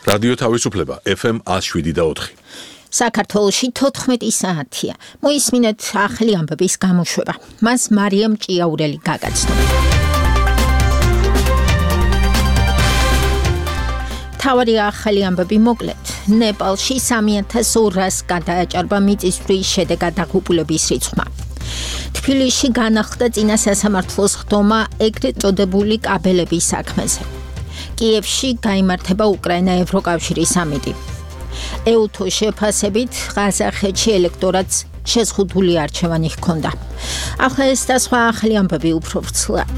რადიო თავისუფლება FM 107.4. საქართველოში 14 საათია. მოისმინეთ ახალი ამბების გამოშვება. მას მარიამ ჭიაურელი გაგაცნობა. თავარი ახალი ამბები მოკლედ. ნეპალში 3200 გადააჭარბა მიწისძვრის შედეგად დაღუპულების რიცხვმა. თბილისში განახლდა წინა სასამართლოს ხდომა ეგრეთ წოდებული კაბელების საქმეზე. კიევში გაიმართება უკრაინა-ევროკავშირის სამიტი. ეუთოს შეფასებით ყაზახეთში ელექტორატს შეზღუდული არჩევანი ჰქონდა. ახლა ეს და სხვა ახალი ამბები უფრო ვრცლად.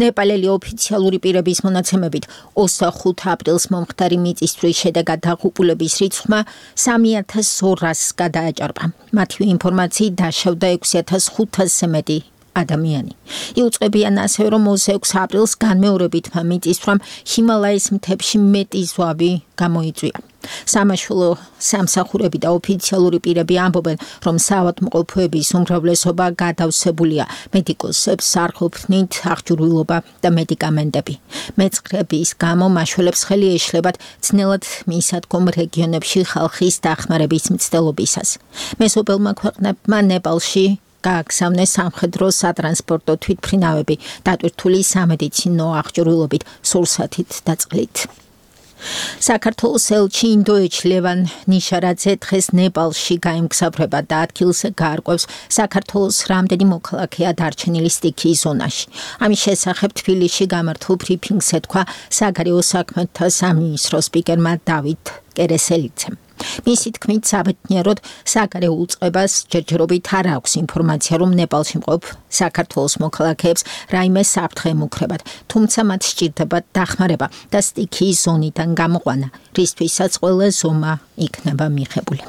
ნეპალელი ოფიციალური პირების მონაცემებით 25 აპრილს მომხდარი მიწისძვრის შედეგად დაღუპულების რიცხვმა 3200 გადააჭარბა. მათი ინფორმაციით დაშავდა 6500-ზე მეტი ადამიანი. იუწყებიან ასევე, რომ 26 აპრილს განმეორებითმა მიწისძვრამ ჰიმალაის მთებში მეტი ზვავი გამოიწვია. სამაშველო სამსახურები და ოფიციალური პირები ამბობენ, რომ საავადმყოფოების უმრავლესობა გადავსებულია. მედიკოსებს არ ყოფნით აღჭურვილობა და მედიკამენტები. მეწყრების გამო მაშველებს ხელი ეშლებათ ძნელად მისადგომ რეგიონებში ხალხის დახმარების მცდელობისას. მეზობელმა ქვეყნებმა ნეპალში გააგზავნეს სამხედრო სატრანსპორტო თვითმფრინავები დატვირთული სამედიცინო აღჭურვილობით, სურსათით და წყლით. საქართველოს ელჩი ინდოეთში ლევან ნიშარაძე დღეს ნეპალში გაემგზავრება და ადგილზე გაარკვევს საქართველოს რამდენი მოქალაქეა დარჩენილი სტიქიის ზონაში. ამის შესახებ თბილისში გამართულ ბრიფინგზე თქვა საგარეო საქმეთა სამინისტროს სპიკერმა დავით კერესელიძემ. მისი თქმით, საბედნიეროდ საგარეო უწყებას ჯერჯერობით არ აქვს ინფორმაცია, რომ ნეპალში მყოფ საქართველოს მოქალაქეებს რაიმე საფრთხე ემუქრებათ, თუმცა მათ სჭირდებათ დახმარება და სტიქიის ზონიდან გამოყვანა, რისთვისაც ყველა ზომა იქნება მიღებული.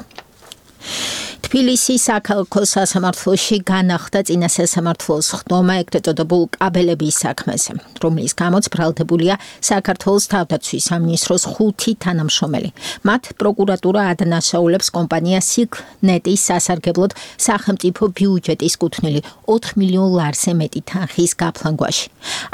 თბილისის საქალაქო სასამართლოში განახლდა წინა სასამართლოს ხდომა ეგრეთ წოდებულ კაბელების საქმეზე, რომლის გამოც ბრალდებულია საქართველოს თავდაცვის სამინისტროს 5 თანამშრომელი. მათ პროკურატურა ადანაშაულებს კომპანია სიგნეტის სასარგებლოდ სახელმწიფო ბიუჯეტის კუთვნილი 4 მილიონ ლარზე მეტი თანხის გაფლანგვაში.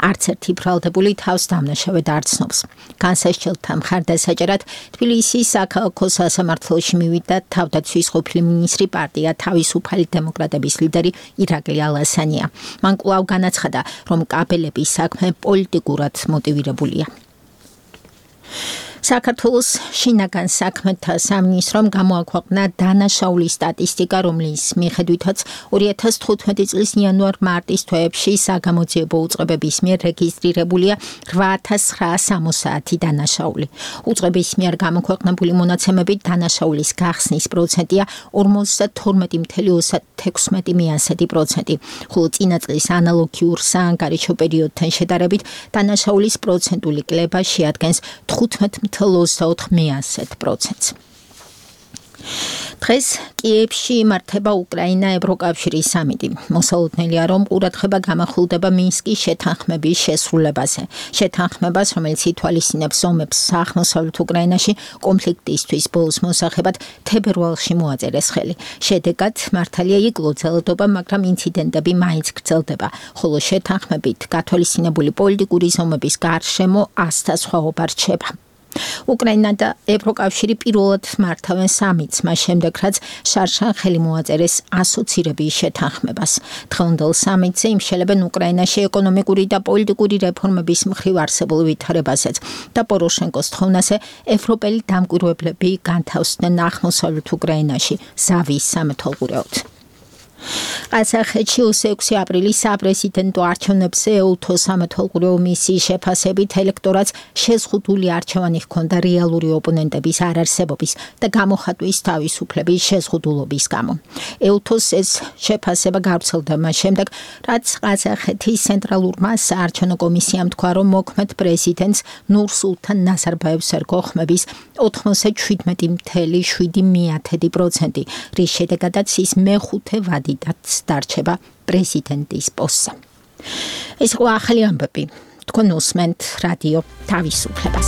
არც ერთი ბრალდებული თავს დამნაშავედ არ ცნობს. განსასჯელთა მხარდასაჭერად თბილისის საქალაქო სასამართლოში მივიდა თავდაცვის ყოფილი მინისტრი პარტია თავისუფალი დემოკრატების ლიდერი ირაკლი ალასანია. მან კვლავ განაცხადა, რომ კაბელების საქმე პოლიტიკურად მოტივირებულია. საქართველოს შინაგან საქმეთა სამინისტრომ გამოაქვეყნა დანაშაულის სტატისტიკა, რომლის მიხედვითაც 2015 წლის იანვარ-მარტის თვეებში საგამოძიებო უწყებების მიერ რეგისტრირებულია 8960 დანაშაული. უწყების მიერ გამოქვეყნებული მონაცემებით დანაშაულის გახსნის პროცენტია 52.36%, ხოლო წინა წლის ანალოგიურ საანგარიშო პერიოდთან შედარებით დანაშაულის პროცენტული კლება შეადგენს 15.24%. დღეს კიევში იმართება უკრაინა-ევროკავშირის სამიტი. მოსალოდნელია, რომ ყურადღება გამახვილდება მინსკის შეთანხმების შესრულებაზე. შეთანხმებას, რომელიც ითვალისწინებს ომებს აღმოსავლეთ უკრაინაში კონფლიქტისთვის ბოლოს მოსახებად თებერვალში მოაწერეს ხელი. შედეგად მართალია იკლო ძალადობა, მაგრამ ინციდენტები მაინც გრძელდება, ხოლო შეთანხმებით გათვალისწინებული პოლიტიკური ზომების გარშემო ასთა სხვაობა რჩება. უკრაინა და ევროკავშირი პირველად მართავენ სამიტს, მას შემდეგ რაც შარშან ხელი მოაწერეს ასოცირების შეთანხმებას. დღევანდელ სამიტზე იმშელებენ უკრაინაში ეკონომიკური და პოლიტიკური რეფორმების მხრივ არსებულ ვითარებაზეც და პოროშენკოს თხოვნაზე ევროპელი დამკვირვებლები განთავსდნენ აღმოსავლეთ უკრაინაში ზავის სამეთვალყურეოდ. ყაზახეთში 26 აპრილის საპრეზიდენტო არჩევნებზე ეუთოს სამეთვალყურეო მისიის შეფასებით ელექტორატს შეზღუდული არჩევანი ჰქონდა რეალური ოპონენტების არარსებობის და გამოხატვის თავისუფლების შეზღუდულობის გამო. ეუთოს ეს შეფასება გავრცელდა მას შემდეგ, რაც ყაზახეთის ცენტრალურმა საარჩევნო კომისიამ თქვა, რომ მოქმედ პრეზიდენტს ნურსულთან ნაზარბაევს ერგო ხმების 97.7%, რის შედეგადაც ის მეხუთე ვადიდაც დარჩება პრეზიდენტის პოსტზე. ეს ახალი ამბები თქვენ უსმენთ რადიო თავისუფლებას.